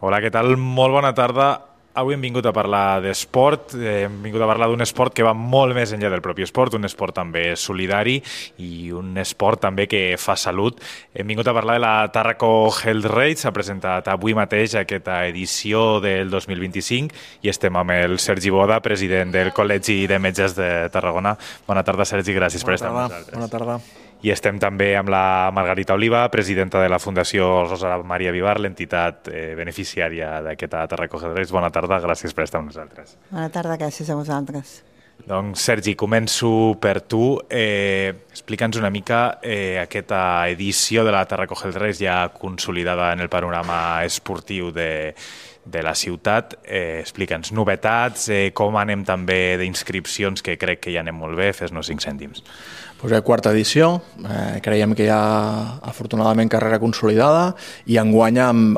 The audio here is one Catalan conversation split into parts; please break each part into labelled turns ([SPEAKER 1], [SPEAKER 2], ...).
[SPEAKER 1] Hola, què tal? Molt bona tarda. Avui hem vingut a parlar d'esport, hem vingut a parlar d'un esport que va molt més enllà del propi esport, un esport també solidari i un esport també que fa salut. Hem vingut a parlar de la Tàrraco Health Race, s'ha presentat avui mateix aquesta edició del 2025 i estem amb el Sergi Boda, president del Col·legi de Metges de Tarragona. Bona tarda, Sergi, gràcies per estar amb nosaltres.
[SPEAKER 2] Bona tarda.
[SPEAKER 1] I estem també amb la Margarita Oliva, presidenta de la Fundació Rosa Maria Vivar, l'entitat beneficiària d'aquesta Tàrraco Health Race. Bona tarda, gràcies per estar amb nosaltres.
[SPEAKER 3] Bona tarda, gràcies a vosaltres.
[SPEAKER 1] Doncs, Sergi, començo per tu. Explica'ns una mica aquesta edició de la Tàrraco Health Race ja consolidada en el panorama esportiu de la ciutat. Explica'ns novetats, com anem també d'inscripcions, que crec que ja anem molt bé, fes-nos 5 cèntims.
[SPEAKER 2] Pues quarta edició, creiem que hi ha afortunadament carrera consolidada i enguany amb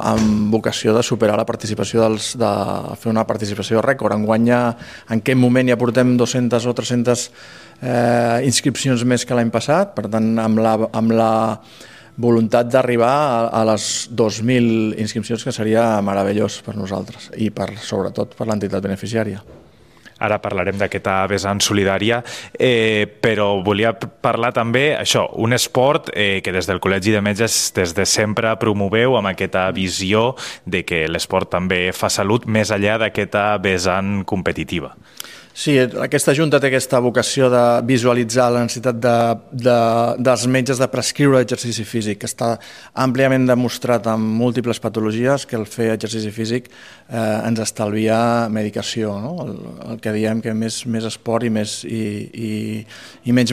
[SPEAKER 2] vocació de superar la participació, de fer una participació rècord. Enguany en aquest moment ja portem 200 o 300 inscripcions més que l'any passat, per tant amb la voluntat d'arribar a les 2.000 inscripcions, que seria meravellós per nosaltres i sobretot per l'entitat beneficiària.
[SPEAKER 1] Ara parlarem d'aquesta vessant solidària, però volia parlar també, un esport que des del Col·legi de Metges des de sempre promoveu amb aquesta visió de que l'esport també fa salut més enllà d'aquesta vessant competitiva.
[SPEAKER 2] Sí, aquesta Junta té aquesta vocació de visualitzar la necessitat dels metges de prescriure exercici físic, que està àmpliament demostrat amb múltiples patologies que el fer exercici físic ens estalvia medicació, no? El que diem que més esport i menys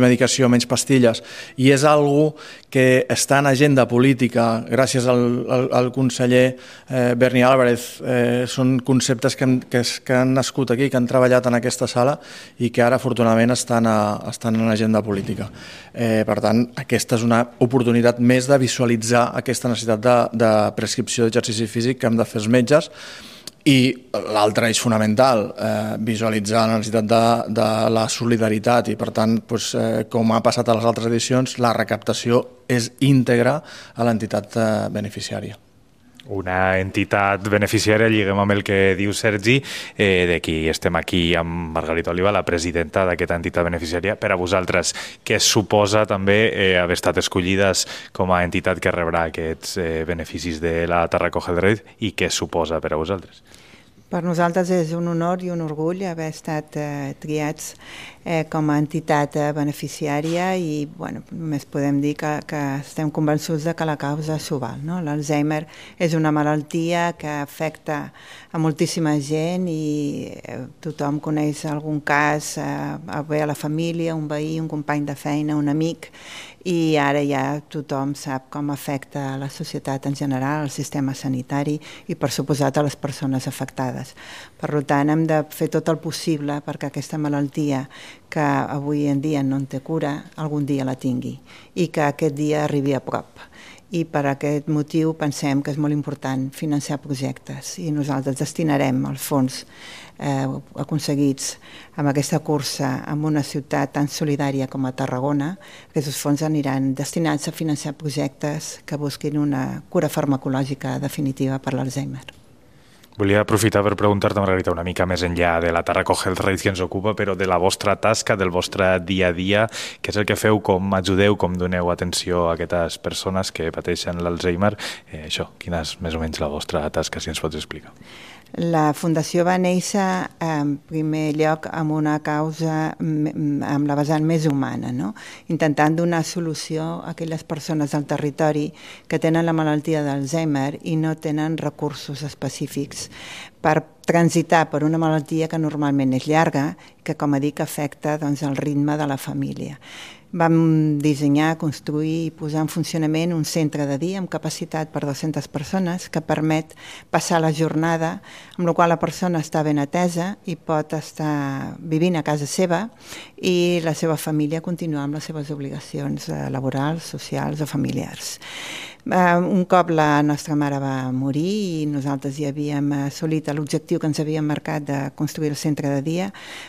[SPEAKER 2] medicació, menys pastilles. I és algo que està en agenda política, gràcies al conseller Berni Álvarez. Són conceptes que han nascut aquí, que han treballat en aquesta sala i que ara afortunadament estan en l'agenda política. Per tant, aquesta és una oportunitat més de visualitzar aquesta necessitat de prescripció d'exercici físic que hem de fer els metges. I l'altre és fonamental, visualitzar la necessitat de la solidaritat i, per tant, com ha passat a les altres edicions, la recaptació és íntegra a l'entitat beneficiària.
[SPEAKER 1] Una entitat beneficiària, lliguem amb el que diu Sergi, d'aquí estem aquí amb Margarita Oliva, la presidenta d'aquesta entitat beneficiària. Per a vosaltres, què suposa també haver estat escollides com a entitat que rebrà aquests beneficis de la Tàrraco Health Race i què suposa per a vosaltres?
[SPEAKER 3] Per nosaltres és un honor i un orgull haver estat triats com a entitat beneficiària i només podem dir que estem convençuts de que la causa s'ho val. L'Alzheimer és una malaltia que afecta a moltíssima gent i tothom coneix algun cas, bé a la família, un veí, un company de feina, un amic, i ara ja tothom sap com afecta a la societat en general, al sistema sanitari i per suposat a les persones afectades. Per tant, hem de fer tot el possible perquè aquesta malaltia, que avui en dia no en té cura, algun dia la tingui i que aquest dia arribi a prop. I per aquest motiu pensem que és molt important financiar projectes i nosaltres destinarem els fons aconseguits amb aquesta cursa en una ciutat tan solidària com a Tarragona. Aquests fons aniran destinats a financiar projectes que busquin una cura farmacològica definitiva per l'Alzheimer.
[SPEAKER 1] Volia aprofitar per preguntar-te, Margarita, una mica més enllà de la Tàrraco Health Race que ens ocupa, però de la vostra tasca, del vostre dia a dia, què és el que feu, com ajudeu, com doneu atenció a aquestes persones que pateixen l'Alzheimer. Quina és més o menys la vostra tasca, si ens pots explicar?
[SPEAKER 3] La Fundació va néixer en primer lloc amb una causa amb la vessant més humana, intentant donar solució a aquelles persones del territori que tenen la malaltia d'Alzheimer i no tenen recursos específics per transitar per una malaltia que normalment és llarga i que, com dic, afecta el ritme de la família. Vam dissenyar, construir i posar en funcionament un centre de dia amb capacitat per 200 persones que permet passar la jornada, amb la qual la persona està ben atesa i pot estar vivint a casa seva i la seva família continuar amb les seves obligacions laborals, socials o familiars. Un cop la nostra mare va morir i nosaltres ja havíem assolit l'objectiu que ens havíem marcat de construir el centre de dia,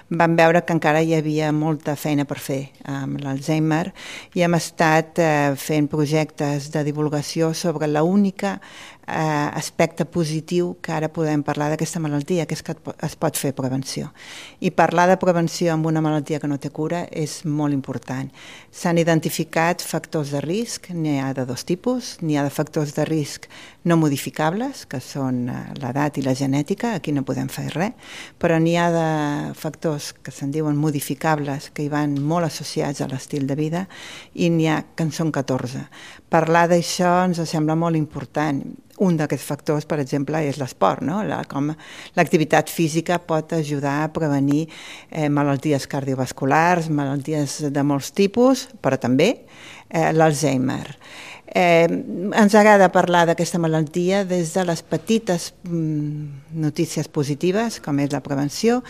[SPEAKER 3] vam veure que encara hi havia molta feina per fer amb l'Alzheimer i hem estat fent projectes de divulgació sobre l'única aspecte positiu que ara podem parlar d'aquesta malaltia, que és que es pot fer prevenció. I parlar de prevenció amb una malaltia que no té cura és molt important. S'han identificat factors de risc, n'hi ha de dos tipus, n'hi ha de factors de risc no modificables, que són l'edat i la genètica, aquí no podem fer res, però n'hi ha de factors que se'n diuen modificables, que hi van molt associats a l'estil de vida, i n'hi ha que en són 14. Parlar d'això ens sembla molt important. Un d'aquests factors, per exemple, és l'esport, no? Com l'activitat física pot ajudar a prevenir malalties cardiovasculars, malalties de molts tipus, però també l'Alzheimer. Ens agrada parlar d'aquesta malaltia des de les petites notícies positives, com és la prevenció,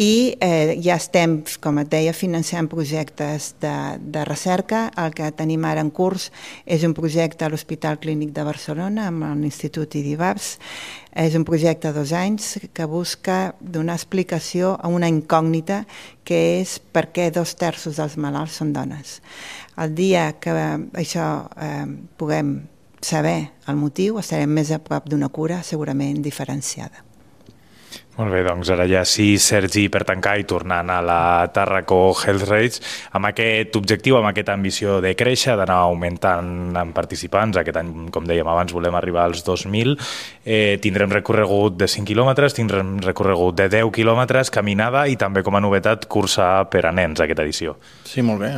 [SPEAKER 3] i ja estem, com et deia, financiant projectes de recerca. El que tenim ara en curs és un projecte a l'Hospital Clínic de Barcelona amb l'Institut IDIVABS. És un projecte de 2 anys que busca donar explicació a una incògnita que és per què 2/3 dels malalts són dones. El dia que això puguem saber el motiu, estarem més a prop d'una cura segurament diferenciada.
[SPEAKER 1] Molt bé, doncs ara ja sí, Sergi, per tancar i tornant a la Tàrraco Health Race, amb aquest objectiu, amb aquesta ambició de créixer, d'anar augmentant en participants. Aquest any, com dèiem abans, volem arribar als 2.000. Tindrem recorregut de 5 quilòmetres, tindrem recorregut de 10 quilòmetres, caminada i també, com a novetat, cursa per a nens, aquesta edició.
[SPEAKER 2] Sí, molt bé.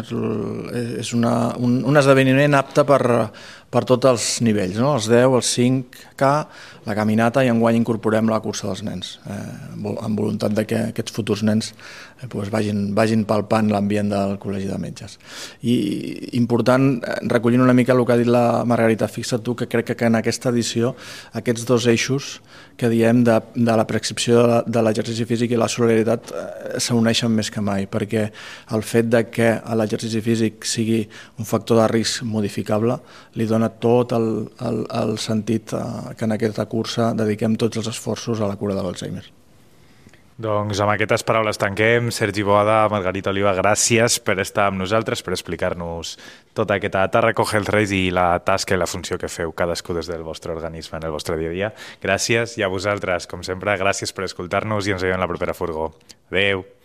[SPEAKER 2] És un esdeveniment apte per tots els nivells, no? Els 10, els 5K, la caminata, i enguany incorporem la cursa dels nens, amb voluntat de que aquests futurs nens vagin palpant l'ambient del Col·legi de Metges. I important, recollint una mica el que ha dit la Margarita, fixa't tu que crec que en aquesta edició aquests 2 eixos que diem de la prescripció de l'exercici físic i la solidaritat s'uneixen més que mai, perquè el fet de que l'exercici físic sigui un factor de risc modificable li dona tot el sentit que en aquesta cursa dediquem tots els esforços a la cura de l'Alzheimer.
[SPEAKER 1] Doncs amb aquestes paraules tanquem. Sergi Boada, Margarita Oliva, gràcies per estar amb nosaltres, per explicar-nos tota aquesta Tàrraco Health Race i la tasca i la funció que feu cadascú des del vostre organisme en el vostre dia a dia. Gràcies, i a vosaltres, com sempre, gràcies per escoltar-nos i ens veiem la propera furgó. Adéu!